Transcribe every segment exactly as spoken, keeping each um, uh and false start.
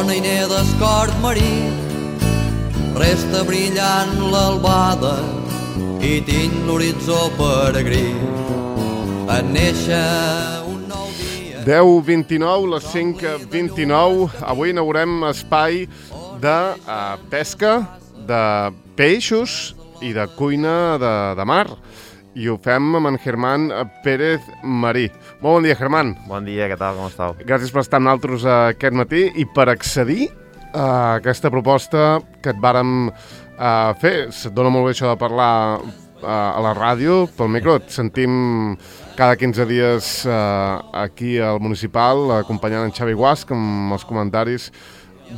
mariner d'escort marí, resta brillant l'albada i tinc l'horitzó peregrí. En néixer un nou dia... deu vint-i-nou, les cinc vint-i-nou. Avui inaugurem espai de uh, pesca, de peixos i de cuina de, de mar. I ho fem amb en Germán Pérez Marí. Molt bon dia, Germán. Bon dia, què tal, com estàu? Gràcies per estar amb nosaltres aquest matí i per accedir a aquesta proposta que et vàrem uh, fer. Se't dona molt bé això de parlar uh, a la ràdio, pel micro. Et sentim cada quinze dies uh, aquí al Municipal, acompanyant en Xavi Guasc amb els comentaris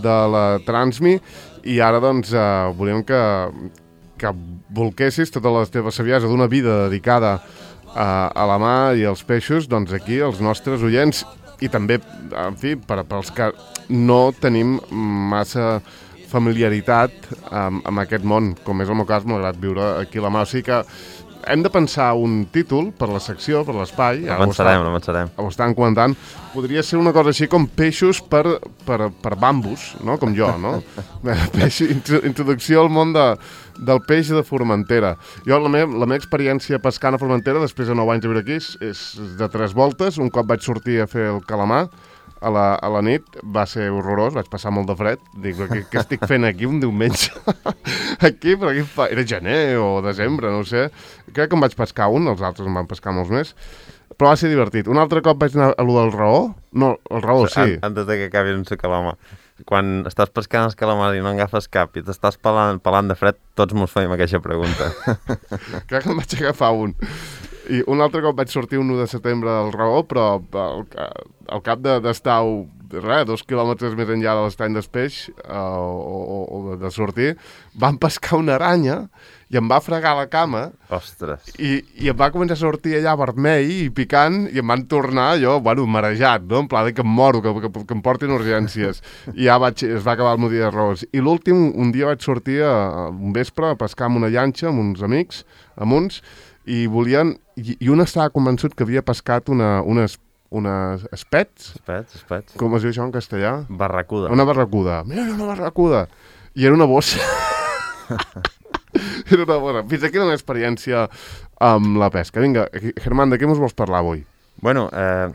de la Transmi. I ara, doncs, uh, volíem que... que volquessis tota la teva saviesa d'una vida dedicada a, a la mar i als peixos, doncs aquí els nostres oients i també, en fi, per, per als que no tenim massa familiaritat amb, amb aquest món, com és el meu cas, malgrat viure aquí a la mar. O sigui que hem de pensar un títol per la secció, per l'espai. No pensarem, no pensarem. Ho estan comentant. Podria ser una cosa així com peixos per, per, per bambus, no? Com jo, no? Peix, introducció al món de, del peix de Formentera. Jo, la meva, la meva experiència pescant a Formentera, després de nou anys de viure aquí, és de tres voltes. Un cop vaig sortir a fer el calamar a la, a la nit, va ser horrorós, vaig passar molt de fred. Dic, què, què estic fent aquí un diumenge? Aquí, però aquí fa... era gener o desembre, no ho sé. Crec que em vaig pescar un, els altres em van pescar molts més. Però va ser divertit. Un altre cop vaig anar a lo del raó. No, el raó, sí. Antes de que acabi un calamar. Quan estàs pescant els calamars i no en agafes cap i t'estàs pelant, pelant de fred, tots mos feim aquesta pregunta. Crec que em vaig agafar un. I un altre cop vaig sortir un u de setembre del raó, però al, al cap d'estar de, res, dos quilòmetres més enllà de l'estany d'Espeix uh, o, o de sortir, vam pescar una aranya i em va fregar la cama. Ostres. I, i em va començar a sortir allà vermell i picant i em van tornar jo, bueno, marejat, no? En pla de que em moro, que, que, que em portin urgències. I ja vaig, es va acabar el meu dia de raons. I l'últim, un dia vaig sortir a, a un vespre a pescar amb una llanxa, amb uns amics, amb uns, i volien... I, i un estava convençut que havia pescat una, unes, unes espets. Espets, espets. Com es diu això en castellà? Barracuda. Una barracuda. Mira, una barracuda. I era una bossa. Era una bossa. Fins aquí la meva experiència amb la pesca. Vinga, Germán, de què ens vols parlar avui? Bueno, eh,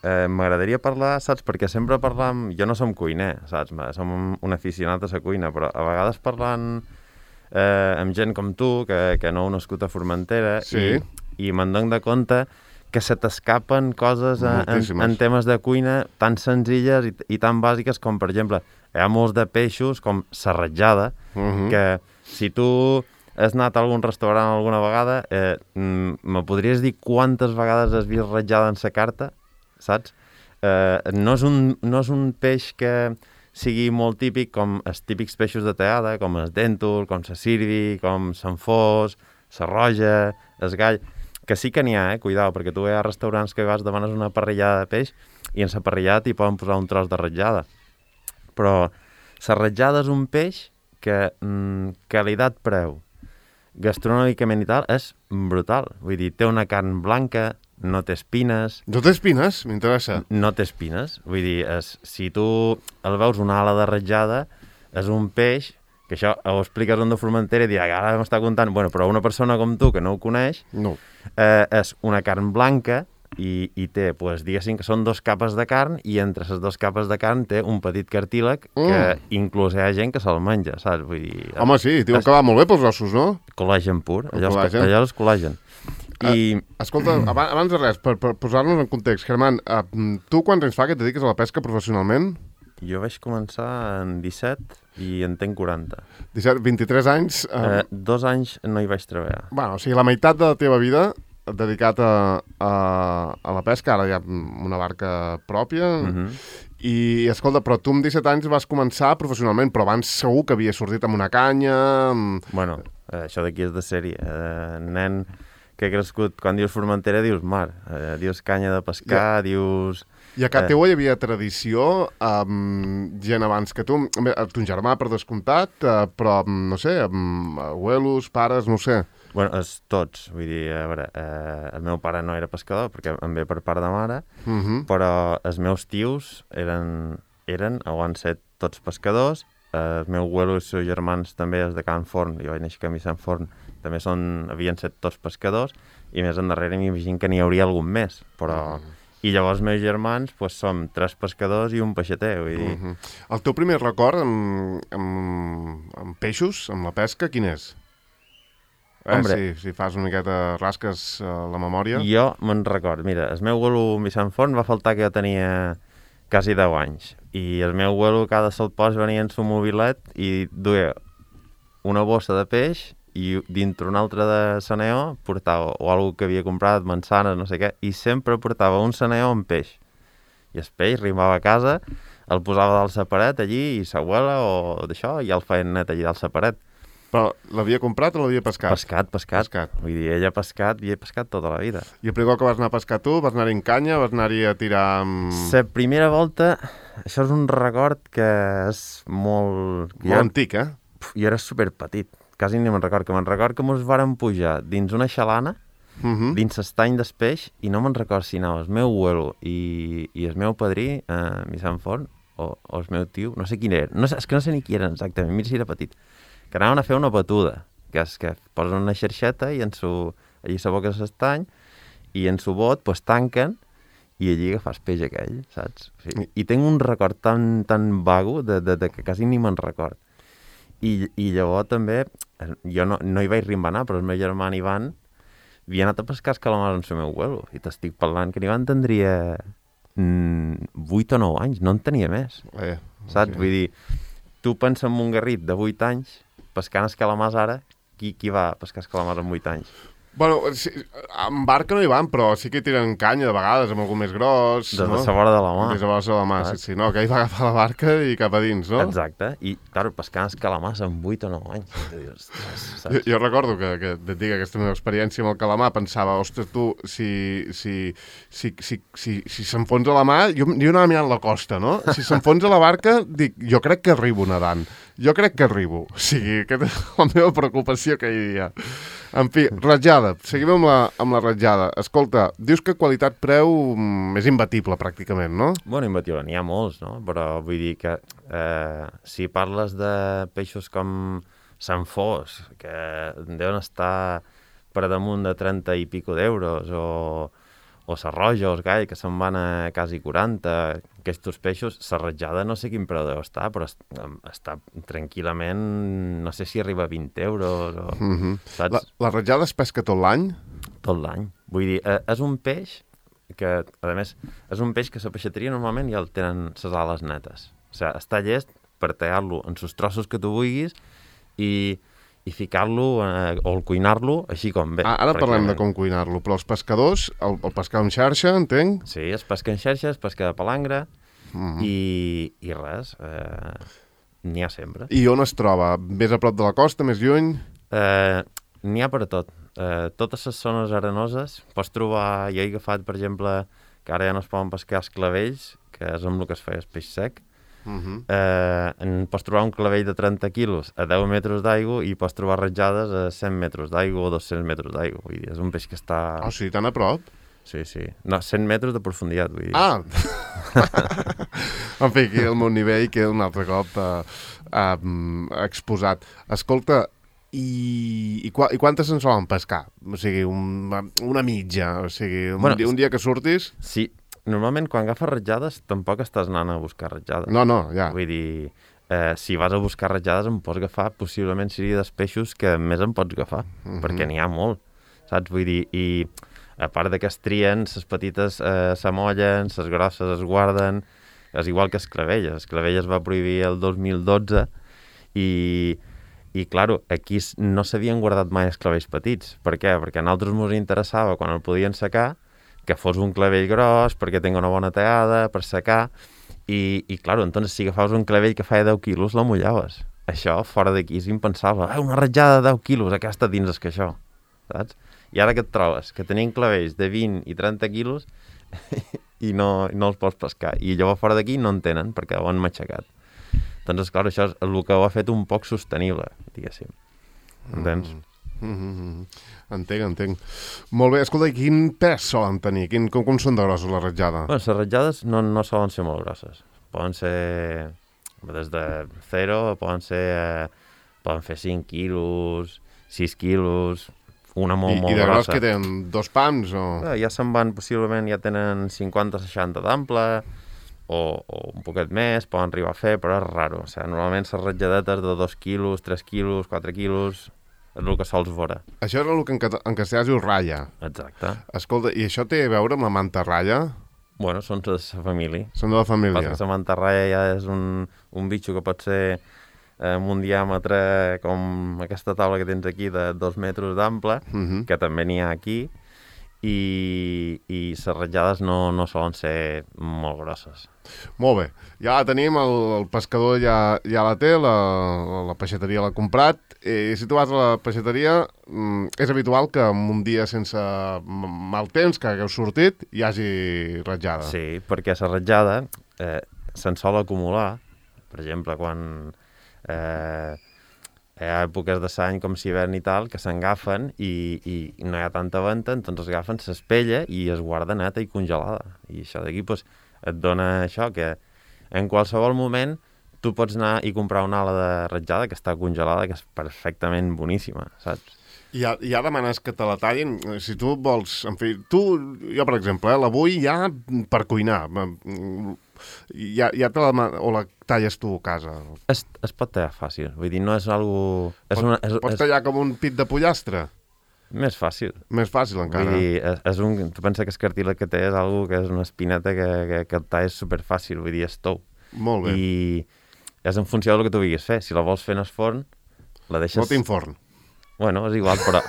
eh, m'agradaria parlar, saps, perquè sempre parlam... Jo no som cuiner, saps? Som un aficionat a la cuina, però a vegades parlant eh, amb gent com tu, que, que no heu nascut a Formentera, sí. i, i me'n dono de compte que se t'escapen coses en, en, en temes de cuina tan senzilles i, i tan bàsiques com, per exemple, hi ha molts de peixos com la ratjada, uh-huh. que si tu has anat a algun restaurant alguna vegada, eh, me podries dir quantes vegades has vist ratjada en sa carta, saps? Eh, no, és un, no és un peix que sigui molt típic com els típics peixos de teada, com el dèntul, com la sirvi, com l'enfós, la roja, el gall... Que sí que n'hi ha, eh? Cuidao, perquè tu hi ha restaurants que vas demanes una parrillada de peix i en la parrillada t'hi poden posar un tros de ratjada. Però la ratjada és un peix que mm, qualitat-preu, gastronòmicament i tal, és brutal. Vull dir, té una carn blanca, no té espines... No té espines? M'interessa. No té espines. Vull dir, és, si tu el veus una ala de ratjada, és un peix... que això ho expliques on de Formentera i dir, ara m'està contant... Bueno, però una persona com tu, que no ho coneix, no. eh, és una carn blanca i, i té, pues, diguéssim que són dos capes de carn i entre les dues capes de carn té un petit cartílag mm. que inclús hi ha gent que se'l menja, saps? Vull dir... Home, sí, diuen es... que va molt bé pels ossos, no? Col·làgen pur, allò, col·làgen. allò és col·làgen. I... Uh, escolta, abans, abans de res, per, per posar-nos en context, Germán, uh, tu quants anys fa que et dediques a la pesca professionalment? Jo vaig començar en disset i en tenc quaranta. disset, vint-i-tres anys... Uh... Eh, dos anys no hi vaig treballar. Bueno, o sigui, la meitat de la teva vida dedicat a, a, a la pesca, ara hi ha una barca pròpia, uh-huh. i, escolta, però tu amb disset anys vas començar professionalment, però abans segur que havies sortit amb una canya... Amb... Bueno, eh, això d'aquí és de sèrie. Eh, nen que ha crescut, quan dius Formentera, dius mar, eh, dius canya de pescar, yeah. dius... I a casa teu hi havia tradició, amb gent abans que tu, ton germà per descomptat, uh, però, no sé, amb abuelos, pares, no sé. Bueno, és tots, vull dir, a veure, eh, el meu pare no era pescador, perquè em ve per part de mare, uh-huh. però els meus tios eren eren, o han set tots pescadors. Eh, el meu abuelo i els seus germans també és de Can Forn, jo vaig néixer a Camí Sant Forn, també són, havien set tots pescadors, i més endarrere m'imagino que n'hi hauria algun més, però... Mm. I llavors els meus germans pues, som tres pescadors i un peixater, vull dir... Mm-hmm. El teu primer record amb, amb, amb peixos, amb la pesca, quin és? Eh, si, si fas una miqueta rasques uh, la memòria... Jo me'n record, mira, el meu abuelo a Sant Forn va faltar que jo tenia quasi deu anys, i el meu abuelo cada salpòs venia en su mobilet i duia una bossa de peix i dintre una altra de saneó portava o alguna que havia comprat, mansanes, no sé què, i sempre portava un saneó amb peix. I el peix arribava a casa, el posava dalt la paret allí i s'abuela o d'això, i el feien net allí dalt la paret. Però l'havia comprat o l'havia pescat? Pescat, pescat. pescat. Vull dir, ella ha pescat i he pescat tota la vida. I el primer que vas anar a pescar tu, vas anar-hi en canya, vas anar-hi a tirar amb... La primera volta, això és un record que és molt... Molt jo... antic, eh? Jo era superpetit. Quasi ni me'n record, que me'n record que mos vàrem pujar dins una xalana, uh-huh. dins l'estany del peix, i no me'n record si anava el meu abuelo i, i el meu padrí, eh, mi Sant Forn, o, o el meu tio, no sé quin era, no sé, és que no sé ni qui eren exactament, mira si era petit, que anaven a fer una batuda, que és que posen una xerxeta i en su, allí s'aboca l'estany, i en su bot pues, tanquen, i allí agafes peix aquell, saps? O sigui, i tinc un record tan, tan vago de, de, de que quasi ni me'n record. I, i llavors també, jo no, no hi vaig rimbanar, però el meu germà Ivan havia anat a pescar calamars amb el meu abuelo, i t'estic parlant que Ivan tindria mm, vuit o nou anys, no en tenia més, eh, saps? Okay. Vull dir, tu pensa en un garrit de vuit anys, pescant escalamars ara, qui, qui va a pescar escalamars amb vuit anys? Bueno, sí, amb barca no hi van, però sí que hi tiren canya de vegades, amb algú més gros, Des no? de la vora de la mà. Des de la vora de la mà, sí, sí, no, que ell va agafar la barca i cap a dins, no? Exacte, i, clar, pescant escalamars amb vuit o nou anys. Dius, jo, jo recordo que, que et dic aquesta meva experiència amb el calamar, pensava, ostres, tu, si, si, si, si, si, si s'enfonsa la mà, jo, jo anava mirant la costa, no? Si s'enfonsa la barca, dic, jo crec que arribo nedant, jo crec que arribo. O sigui, aquesta és la meva preocupació que hi havia. En fi, ratjada. Seguim amb la, amb la ratjada. Escolta, dius que qualitat-preu és imbatible, pràcticament, no? Bueno, imbatible, n'hi ha molts, no? Però vull dir que eh, si parles de peixos com Sant Fos, que deuen estar per damunt de trenta i pico d'euros, o, o Sarroja o el Gall, que se'n van a quasi quaranta, aquests peixos, la ratjada no sé quin preu deu estar, però està tranquil·lament, no sé si arriba a vint euros, o, mm-hmm. saps? La, la ratjada es pesca tot l'any? Tot l'any. Vull dir, eh, és un peix que, a més, és un peix que la peixateria normalment ja el tenen les ales netes. O sigui, està llest per tallar-lo en els trossos que tu vulguis i... i ficar-lo eh, o el cuinar-lo així com ve. Ah, ara parlem de com cuinar-lo, però els pescadors, el, el pescar amb xarxa, entenc? Sí, es pesca en xarxa, es pesca de palangre, mm-hmm. i, i res, eh, n'hi ha sempre. I on es troba? Més a prop de la costa, més lluny? Eh, n'hi ha per a tot. Eh, totes les zones arenoses, pots trobar, jo he agafat, per exemple, que ara ja no es poden pescar els clavells, que és amb el que es feia el peix sec. Uh-huh. eh, en pots trobar un clavell de trenta quilos a deu metres d'aigua i pots trobar ratjades a cent metres d'aigua o dos-cents metres d'aigua. Vull dir, és un peix que està... Ah, o sigui, tan a prop? Sí, sí. No, cent metres de profunditat, vull dir. Ah! En fi, aquí el meu nivell queda un altre cop uh, uh, exposat. Escolta, i, i, qu i quantes en solen pescar? O sigui, un, una mitja, o sigui, un, bueno, dia, un dia que surtis... Sí. Normalment, quan agafes ratjades, tampoc estàs anant a buscar ratjades. No, no, ja. Vull dir, eh, si vas a buscar ratjades, em pots agafar, possiblement seria dels peixos que més em pots agafar, mm-hmm. perquè n'hi ha molt, saps? Vull dir, i a part de que es trien, les petites eh, s'amollen, les grosses es guarden, és igual que esclavelles. Esclavelles va prohibir el dos mil dotze i... I, claro, aquí no s'havien guardat mai esclavells petits. Per què? Perquè a nosaltres ens interessava, quan el podien secar, que fos un clavell gros, perquè tingui una bona tallada, per secar, i, i clar, entonces, si agafaves un clavell que feia deu quilos, la mullaves. Això, fora d'aquí, és impensable. Eh, una ratjada de deu quilos, aquesta dins és que això, saps? I ara que et trobes? Que tenien clavells de vint i trenta quilos i no, no els pots pescar. I llavors, fora d'aquí, no en tenen, perquè ho han matxacat. Doncs, clar, això és el que ho ha fet un poc sostenible, diguéssim. Entens? Mm. Mm-hmm. Entenc, entenc. Molt bé, escolta, i quin pes solen tenir? Quin, com, com són de grossos les ratjades? Bueno, les ratjades no, no solen ser molt grosses. poden ser des de zero, poden ser eh, poden fer cinc quilos, sis quilos, una molt, I, molt grossa. I de gros grossa. que tenen dos pams o...? Eh, ja se'n van, possiblement ja tenen cinquanta seixanta d'ample, o, o un poquet més, poden arribar a fer, però és raro. O sigui, normalment les ratlladetes de dos quilos, tres quilos, quatre quilos, és el que sols veure. Això és el que en, en castellà es diu ratlla. Exacte. Escolta, i això té a veure amb la mantarralla? Bueno, són de la família. Són de la família. Passa que la mantarralla ja és un, un bitxo que pot ser eh, amb un diàmetre com aquesta taula que tens aquí de dos metres d'ample, uh-huh. que també n'hi ha aquí, i, i les ratllades no, no solen ser molt grosses. Molt bé. Ja la tenim, el, el pescador ja, ja la té, la, la peixateria l'ha comprat. I si tu vas a la peixateria, és habitual que en un dia sense mal temps, que hagueu sortit, hi hagi ratllada. Sí, perquè la ratllada eh, se'n sol acumular. Per exemple, quan eh, hi ha èpoques de l'any com l'hivern i tal, que s'engafen i, i no hi ha tanta venta, doncs es agafen s'espella i es guarda neta i congelada. I això d'aquí pues, et dona això, que en qualsevol moment tu pots anar i comprar una ala de ratllada que està congelada, que és perfectament boníssima, saps? I ja, ja demanes que te la tallin. Si tu vols... En fi, tu, jo per exemple, eh, la vull ja per cuinar. Ja, ja te la, o la talles tu a casa? Es, es pot tallar fàcil, vull dir, no és algo... És Pot, una, és, pots és... tallar com un pit de pollastre? Més fàcil. Més fàcil encara. Vull dir, és, és un, tu pensa que el cartílag que té és algo que és una espineta que, que, que el tall és superfàcil, vull dir, és tou. Molt bé. I és en funció del que tu vulguis fer. Si la vols fer en el forn, la deixes... No tinc forn. Bueno, és igual, però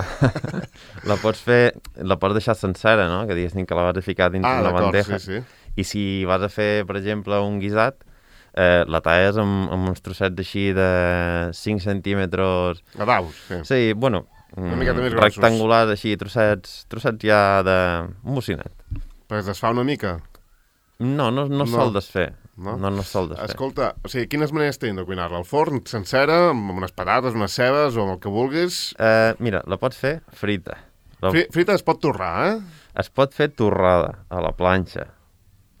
la pots fer, la pots deixar sencera, no? Que diguéssim que la vas a ficar dins ah, una bandeja. Sí, sí. I si vas a fer, per exemple, un guisat, eh, la talles amb, amb uns trossets així de cinc centímetres... A daus, sí. Sí, bueno, una miqueta més grossos. Rectangulars, així, trossets, trossets ja de... un bocinet. Perquè es desfà una mica? No, no, no, no. sol desfer. No, no, no sol desfer. Escolta, o sigui, quines maneres tenen de cuinar-la? Al forn, sencera, amb unes patates, unes cebes o amb el que vulguis? Eh, mira, la pots fer frita. La... Fri frita es pot torrar, eh? Es pot fer torrada a la planxa.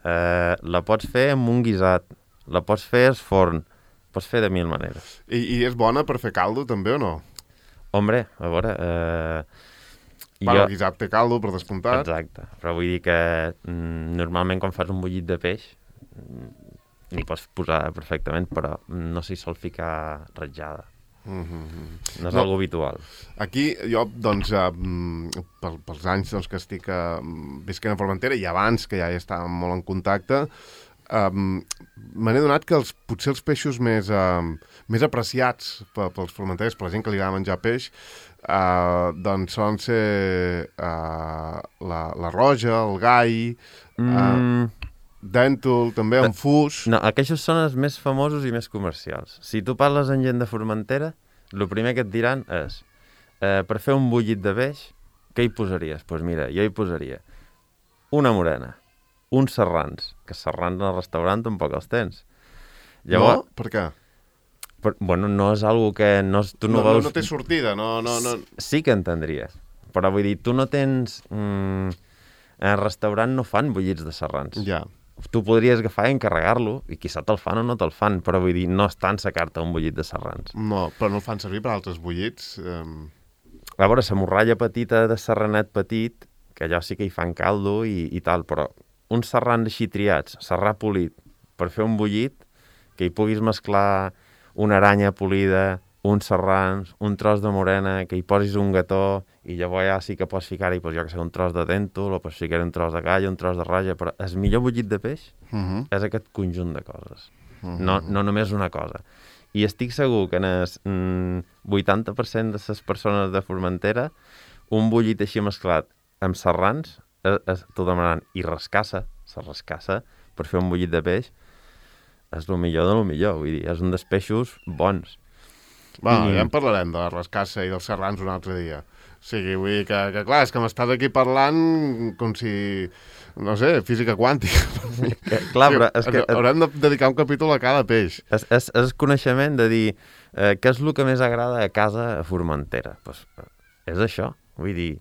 Eh, la pots fer amb un guisat. La pots fer al forn. Pots fer de mil maneres. I, i és bona per fer caldo, també, o no? Hombre, a veure... Eh... Bueno, jo... el guisat té caldo, per descomptat. Exacte. Però vull dir que mm, normalment quan fas un bullit de peix n'hi pots posar perfectament, però no s'hi sol ficar ratllada. Mm-hmm. No és no. algo habitual. Aquí, jo, doncs, eh, pel, pels anys doncs, que estic eh, visquent a Formentera, i abans, que ja hi estàvem molt en contacte, eh, me n'he donat que els, potser els peixos més, eh, més apreciats pels formenteres, per la gent que li agrada menjar peix, Uh, doncs solen ser uh, la, la roja, el gai, uh, mm. dèntol, també en fus... No, aquests són els més famosos i més comercials. Si tu parles amb gent de Formentera, el primer que et diran és uh, per fer un bullit de peix, què hi posaries? Doncs pues mira, jo hi posaria una morena, uns serrans, que serrans al restaurant tampoc els tens. Llavors, no? Per què? Però, bueno, no és algo que no, tu no, no veus... No, no té sortida, no, no, no... Sí que entendries, però vull dir, tu no tens... Mm, en el restaurant no fan bullits de serrans. Ja. Tu podries agafar i encarregar-lo, i quizà te'l fan o no te'l fan, però vull dir, no estan a carta un bullit de serrans. No, però no el fan servir per altres bullits. Um... A veure, la morralla petita de serranet petit, que allò sí que hi fan caldo i, i tal, però uns serrans així triats, serrà polit, per fer un bullit, que hi puguis mesclar una aranya polida, uns serrans, un tros de morena, que hi posis un gató, i llavors ja sí que pots ficar-hi, pues, jo que sé, un tros de dèntol, o pots ficar un tros de gall, un tros de ratlla, però el millor bullit de peix uh -huh. és aquest conjunt de coses, uh -huh. no, no només una cosa. I estic segur que en el mm, vuitanta per cent de les persones de Formentera, un bullit així mesclat amb serrans, es, es, t'ho demanaran, i rascassa, se rascassa, per fer un bullit de peix, és el millor de lo millor, vull dir, és un dels peixos bons. Bueno, I... ja en parlarem de la rascassa i dels serrans un altre dia. O sigui, vull dir que, que clar, és que m'estàs aquí parlant com si, no sé, física quàntica. Que, clar, però és que... Haurem de dedicar un capítol a cada peix. És, és, és coneixement de dir eh, què és el que més agrada a casa a Formentera. Pues, és això, vull dir,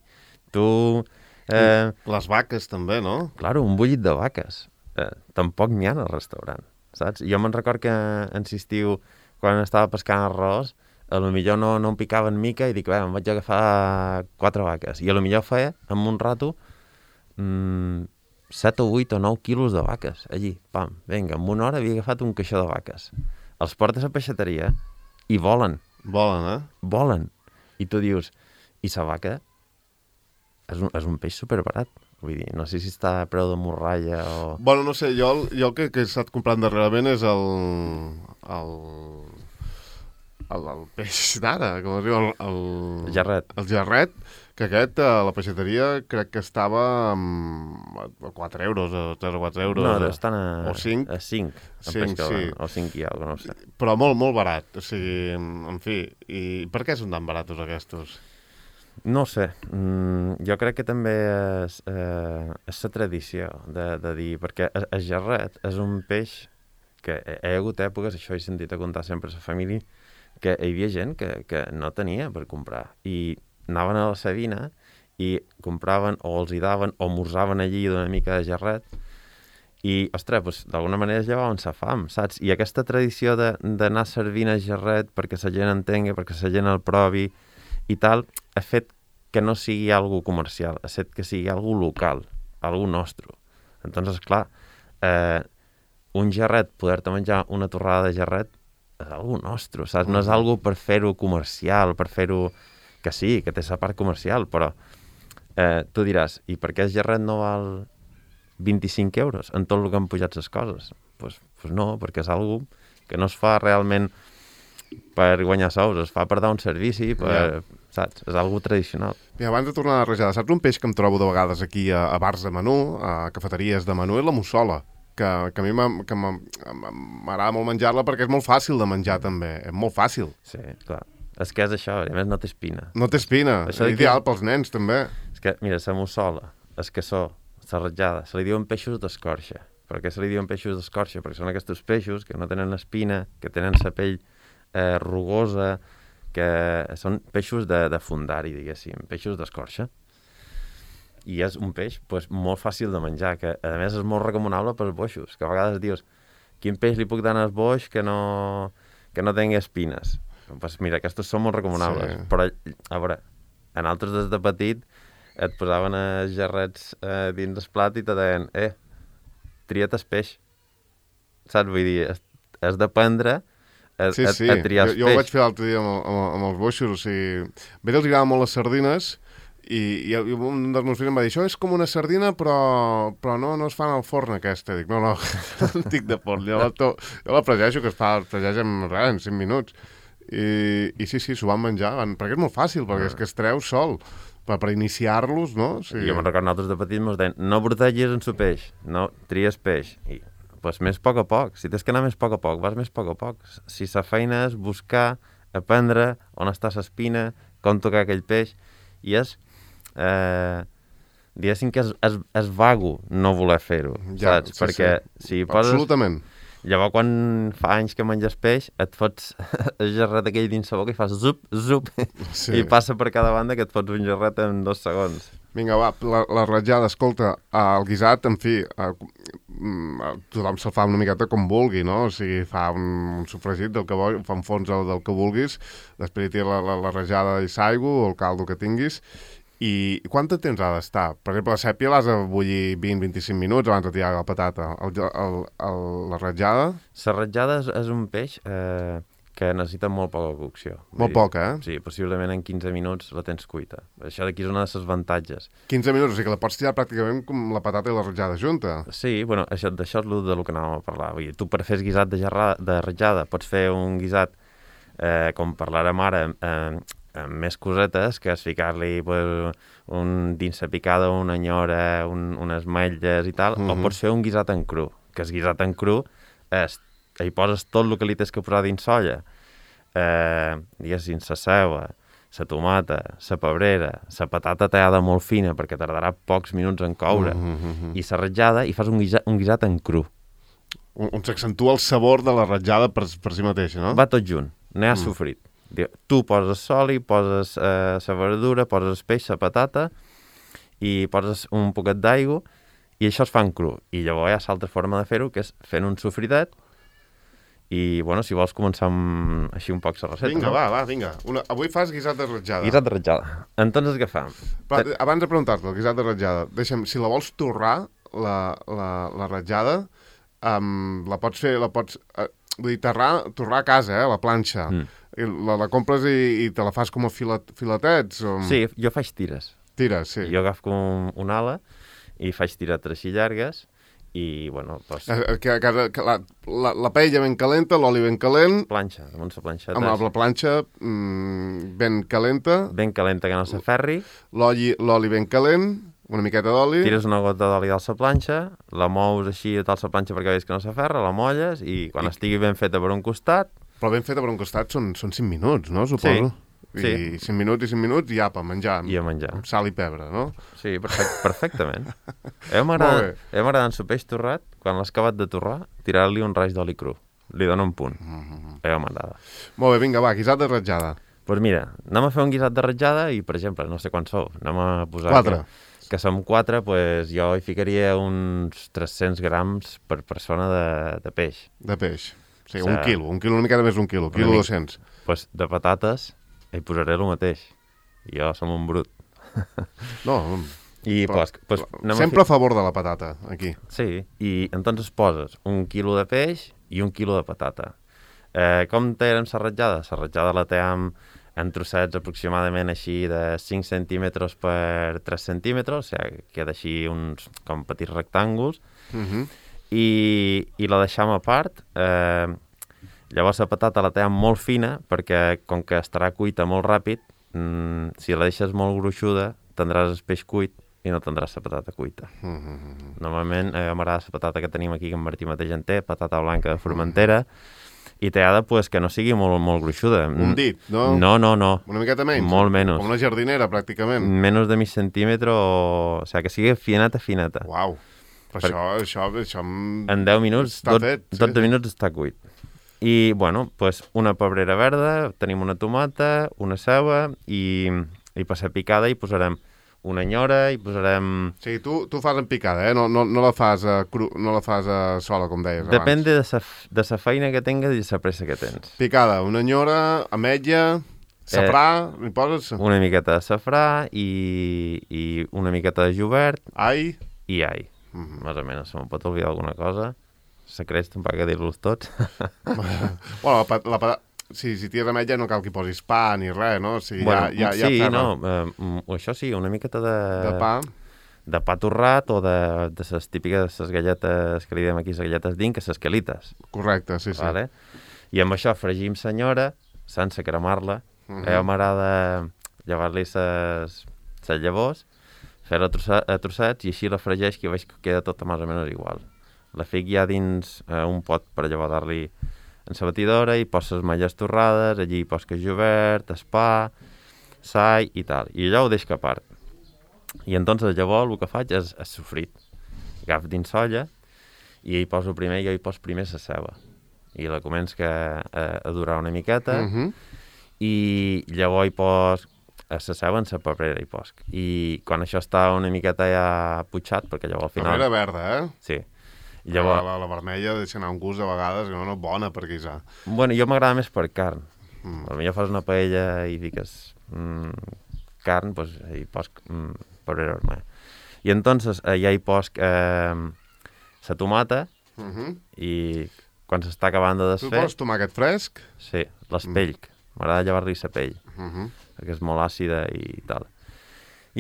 tu... Eh... Les vaques també, no? Claro, un bullit de vaques. Eh, tampoc n'hi ha al restaurant. saps? Jo me'n record que en estiu, quan estava pescant arròs, a lo millor no, no em picava en mica i dic, bé, em vaig agafar quatre vaques. I a lo millor feia, amb un rato, mmm, set o vuit o nou quilos de vaques, allí, pam, vinga, en una hora havia agafat un caixó de vaques. Els portes a peixateria i volen. Volen, eh? Volen. I tu dius, i sa vaca és un, és un peix superbarat. Vull dir, no sé si està a preu de morralla o... Bueno, no sé, jo, jo el que, que he estat comprant darrerament és el... el... el, el peix d'ara, com es diu, el, el... El gerret. El gerret, que aquest a la peixateria crec que estava a quatre euros, a tres o quatre euros. No, estan a... O cinc. A cinc. cinc, sí. O cinc i alguna cosa, no sé. Però molt, molt barat, o sigui, en fi. I per què són tan baratos aquests? No sé, mm, jo crec que també és, eh, és la tradició de, de dir, perquè el, el gerret és un peix que hi ha hagut èpoques, això he sentit a contar sempre a la família, que hi havia gent que, que no tenia per comprar i anaven a la Sabina i compraven o els hi daven o morsaven allí d'una mica de gerret i, ostres, doncs, d'alguna manera es llevaven sa fam, saps? I aquesta tradició d'anar servint a gerret perquè la gent entengui, perquè la gent el provi i tal, ha fet que no sigui algo comercial, ha fet que sigui algo local, algo nostre. Entonces, clar, eh, un gerret, poder-te menjar una torrada de gerret, és algo nostre, saps? No és algo per fer-ho comercial, per fer-ho... Que sí, que té sa part comercial, però eh, tu diràs, i per què el gerret no val vint-i-cinc euros en tot el que han pujat les coses? Doncs pues, pues no, perquè és algo que no es fa realment per guanyar sous, es fa per dar un servici, per, yeah. saps? És algo tradicional. I abans de tornar a la rajada, saps un peix que em trobo de vegades aquí a, a bars de menú, a cafeteries de menú, és la mussola, que, que a mi m'agrada molt menjar-la perquè és molt fàcil de menjar també, és molt fàcil. Sí, clar. És que és això, a més no té espina. No té espina, és ideal que... pels nens també. És que, mira, la mussola, el cassó, la ratllada, se li diuen peixos d'escorxa. Per què se li diuen peixos d'escorxa? Perquè són aquests peixos que no tenen espina, que tenen la pell eh, rugosa, que són peixos de, de fundari, diguéssim, peixos d'escorxa. I és un peix pues, molt fàcil de menjar, que a més és molt recomanable pels boixos, que a vegades dius, quin peix li puc donar al boix que no, que no tingui espines? Pues mira, aquests són molt recomanables, sí. Però, a veure, en altres des de petit et posaven els gerrets eh, dins el plat i te deien, eh, tria't el peix. Saps? Vull dir, has d'aprendre a, sí, sí. a, a triar el jo, jo peix. Jo ho vaig fer l'altre dia amb, amb, amb els boixos, o sigui, a ells els agraden molt les sardines i, i un dels meus fills em va dir, això és com una sardina però, però no, no es fan al forn aquesta. Dic, no, no, no estic de forn, jo la, to, jo la fregeixo, que es fa, es fregeix en, res, en cinc minuts. I, i sí, sí, s'ho van menjar, van, perquè és molt fàcil, perquè és que es treu sol, per, per iniciar-los, no? Sí. Jo me'n recordo nosaltres de petits mos deien, no brotegis en su peix, no tries peix. I, pues més a poc a poc, si tens que anar més a poc a poc, vas més a poc a poc. Si la feina és buscar, aprendre on està l'espina, com tocar aquell peix, i és, eh, diguéssim que és, és, és vago no voler fer-ho, ja, saps? Sí, perquè sí. si poses... Absolutament. Llavors, quan fa anys que menges peix, et fots el gerret aquell dins la boca i fas zup, zup, sí. I passa per cada banda que et fots un gerret en dos segons. Vinga, va, la, la ratllada, escolta, el guisat, en fi, eh, tothom se'l fa una miqueta com vulgui, no? O sigui, fa un, un sofregit del que vol, fa un fons del, del que vulguis, després hi té la, la, la ratllada i saigo, o el caldo que tinguis. I quant de temps ha d'estar? Per exemple, la sèpia l'has de bullir vint a vint-i-cinc minuts abans de tirar la patata. El, el, el, la ratllada? La ratllada és, és un peix eh, que necessita molt poca cocció. Molt poca, eh? Sí, possiblement en quinze minuts la tens cuita. Això d'aquí és una de les avantatges. quinze minuts, o sigui que la pots tirar pràcticament com la patata i la ratllada junta. Sí, bueno, això, d'això és el de lo que anàvem a parlar. Vull dir, tu per fer guisat de, gerrada, de ratllada pots fer un guisat, eh, com parlarem ara, eh, amb més cosetes, que és ficar-li pues, un, dins la picada una nyora, un, unes ametlles i tal, mm-hmm. O pots fer un guisat en cru, que el guisat en cru és, hi poses tot el que li tens que posar dins solla, eh, diguéssim, la ceba, la tomata, la pebrera, la patata tallada molt fina, perquè tardarà pocs minuts en coure, mm-hmm. I la ratllada, i fas un guisat, un guisat en cru. On, on s'accentua el sabor de la ratllada per, per si mateixa, no? Va tot junt, no hi ha mm. sofrit. Tu poses soli, poses eh, la verdura, poses el peix, la patata i poses un poquet d'aigua i això es fa en cru. I llavors hi ha l'altra forma de fer-ho, que és fent un sofritet I, bueno, si vols començar amb així un poc la recepta. Vinga, no? va, va, vinga. Una... Avui fas guisat de ratjada. Guisat de ratjada. Entonces, què fam? Però, abans de preguntar-te, el guisat de ratjada, deixa'm, si la vols torrar, la, la, la ratjada, um, la pots fer, la pots... Uh, vull dir, torrar, torrar a casa, eh, a la planxa. Mm. La, la compres i, i te la fas com a filet, filetets? O... Sí, jo faig tires. Tires, sí. Jo agafo un, una ala i faig tiretes així llargues i, bueno, doncs... Eh, que, que, que la, la, la paella ben calenta, l'oli ben calent... Planxa, damunt la planxeta. Amb la, la planxa mm, ben calenta... Ben calenta, que no s'aferri. L'oli ben calent, una miqueta d'oli... Tires una gota d'oli dalt la planxa, la mous així dalt la planxa perquè veus que no s'aferra, la molles i quan I... estigui ben feta per un costat... Però ben feta per un costat són, són cinc minuts, no? Suposo. Sí. I sí. cinc minuts i cinc minuts i apa, menjar. I a menjar. Amb sal i pebre, no? Sí, perfect, perfectament. A mi m'agrada en el peix torrat, quan l'has acabat de torrar, tirar-li un raig d'oli cru. Li dona un punt. Mm-hmm. A mi m'agrada. Molt bé, vinga, va, guisat de ratjada. Doncs pues mira, anem a fer un guisat de ratjada i, per exemple, no sé quants sou, anem a posar... Quatre. Que, que som quatre, pues, jo hi ficaria uns tres-cents grams per persona de, de peix. De peix. Sí, o sea, un quilo, un quilo, una mica més d'un quilo, quilo dos-cents. Doncs pues de patates hi posaré el mateix. Jo som un brut. No, I però, pues, pues, sempre a, fi... a favor de la patata, aquí. Sí, i entonces poses un quilo de peix i un quilo de patata. Eh, com tèiem la ratjada? La ratjada la tèiem en trossets aproximadament així de cinc centímetres per tres centímetres, o sigui, queda així uns com petits rectànguls, uh-huh. i, i la deixam a part. Eh, llavors la patata la tèiem molt fina perquè com que estarà cuita molt ràpid, mmm, si la deixes molt gruixuda tindràs el peix cuit i no tindràs la patata cuita. Uh-huh. Normalment eh, m'agrada la patata que tenim aquí, que en Martí mateix en té, patata blanca de Formentera, uh-huh. i t'ha de pues, que no sigui molt, molt gruixuda. Un dit, no? No, no, no. Una miqueta menys? Molt menys. Com una jardinera, pràcticament. Menys de mig centímetre, o... o sigui, que sigui fineta, fineta. Uau. Però per... això, això, això... En deu minuts, està dot, fet, sí, dotze sí. minuts està cuit. I, bueno, pues, una pebrera verda, tenim una tomata, una ceba, i, i per ser picada hi posarem una nyora, hi posarem... O sigui, tu, tu fas en picada, eh? No, no, no la fas, a cru, no la fas a sola, com deies abans. Depèn de sa, de sa feina que tingues i de sa pressa que tens. Picada, una nyora, ametlla, safrà, eh, hi poses? Una miqueta de safrà i, i una miqueta de jubert. Ai. I ai. Mm-hmm. Més o menys, se me'n pot oblidar alguna cosa. Secrets, tampoc que dir-los tots. Bueno, la, la, la, si, si tires ametlla no cal que hi posis pa ni res, no? O sigui, bueno, ja, ja, sí, ja no, eh, això sí, una miqueta de... De pa. De pa torrat o de, de les típiques les galletes que li diem aquí, les galletes d'Inca, les quelites. Correcte, sí, sí. Vale? I amb això fregim senyora, sense cremar-la. Uh-huh. A mi m'agrada llevar-li les llavors, fer-la a trossets i així la fregeix, que veig que queda tota més o menys igual. La fic ja dins eh, un pot per llevar-li en la batidora i poses malles torrades, allí poses jubert, espà, sall i tal. I allò ho deixo a part. I entonces llavors el que faig és, és sofrit. Agafo dins solla i hi poso primer, jo hi poso primer la ceba. I la començo que, a, a durar una miqueta, uh-huh. i llavors hi pos a la ceba en la paperera hi poso. I quan això està una miqueta ja putxat, perquè llavors al final... Paperera verda, eh? Sí. Llavors... La, la, la vermella deixa anar un gust a vegades, no, no bona per guisar. Bueno, jo m'agrada més per carn. Mm. Potser fas una paella i fiques mm, carn, doncs hi pos mm, paperera vermella. I entonces eh, ja hi pos eh, la tomata, uh-huh. i quan s'està acabant de desfer... Tu poses tomàquet fresc? Sí, l'espell. Mm. M'agrada llevar-li la pell, uh-huh. perquè és molt àcida i tal.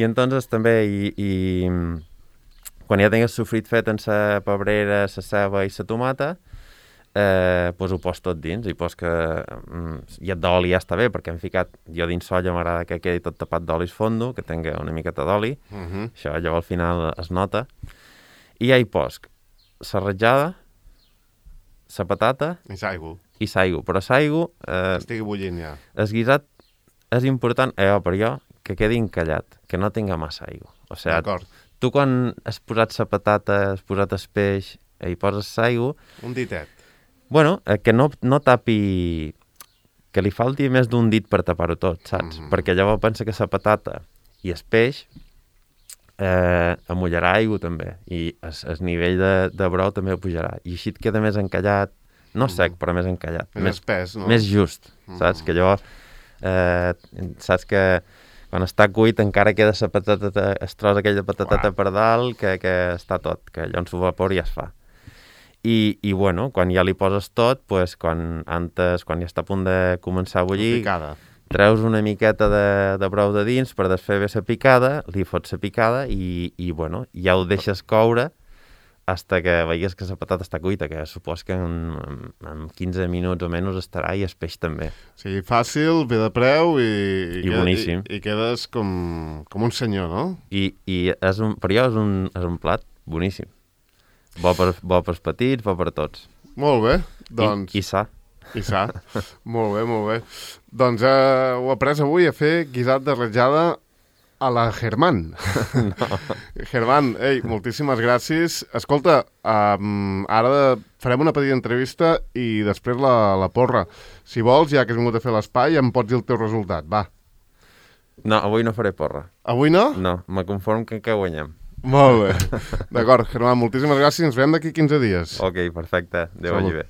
I entonces també i, i quan ja tingues sofrit fet en la pebrera, la ceba i la tomata, eh, pues ho pos tot dins, i pos que mm, i el d'oli ja està bé, perquè hem ficat, jo dins solla m'agrada que quedi tot tapat d'oli fondo, que tingui una miqueta d'oli, uh-huh. això llavors al final es nota, i ja hi pos la ratjada, la patata... I s'aigua. I s'aigua, però s'aigua... Eh, estigui bullint ja. El guisat és important, eh, per jo, que quedi encallat, que no tinga massa aigua. O sigui, d'acord. Tu quan has posat la patata, has posat el peix i hi poses l'aigua... Un ditet. Bueno, eh, que no, no tapi... Que li falti més d'un dit per tapar-ho tot, saps? Mm-hmm. Perquè llavors pensa que la patata i el peix eh, amollarà aigua també, i el, el nivell de, de brou també ho pujarà. I així et queda més encallat, no sec, però més encallat. Més, més espès, no? Més just, saps? Mm. Que allò, eh, saps que quan està cuit encara queda la patata, es tros aquella patateta Uau. per dalt, que, que està tot, que allò en su vapor ja es fa. I, i bueno, quan ja li poses tot, pues, quan, antes, quan ja està a punt de començar a bullir, treus una miqueta de, de brou de dins per desfer bé la picada, li fots la picada i, i bueno, ja ho deixes coure hasta que veigues que la patata està cuita, que supos que en, en quinze minuts o menys estarà, i el peix també. Sí, fàcil, bé de preu i, i, I boníssim. I, i quedes com, com un senyor, no? I, i és un, per jo és un, és un plat boníssim. Bo per, bo pels petits, bo per tots. Molt bé, doncs... I, i sa. I sa. Molt bé, molt bé. Doncs eh, ho he après avui a fer guisat de ratllada a la Germán. No. Germán, ei, moltíssimes gràcies. Escolta, um, ara farem una petita entrevista i després la, la porra. Si vols, ja que has vingut a fer l'espai, em pots dir el teu resultat, va. No, avui no faré porra. Avui no? No, me conform que, que guanyem. Molt bé. D'acord, Germán, moltíssimes gràcies. Ens veiem d'aquí quinze dies. Ok, perfecte. Adéu, vagi bé.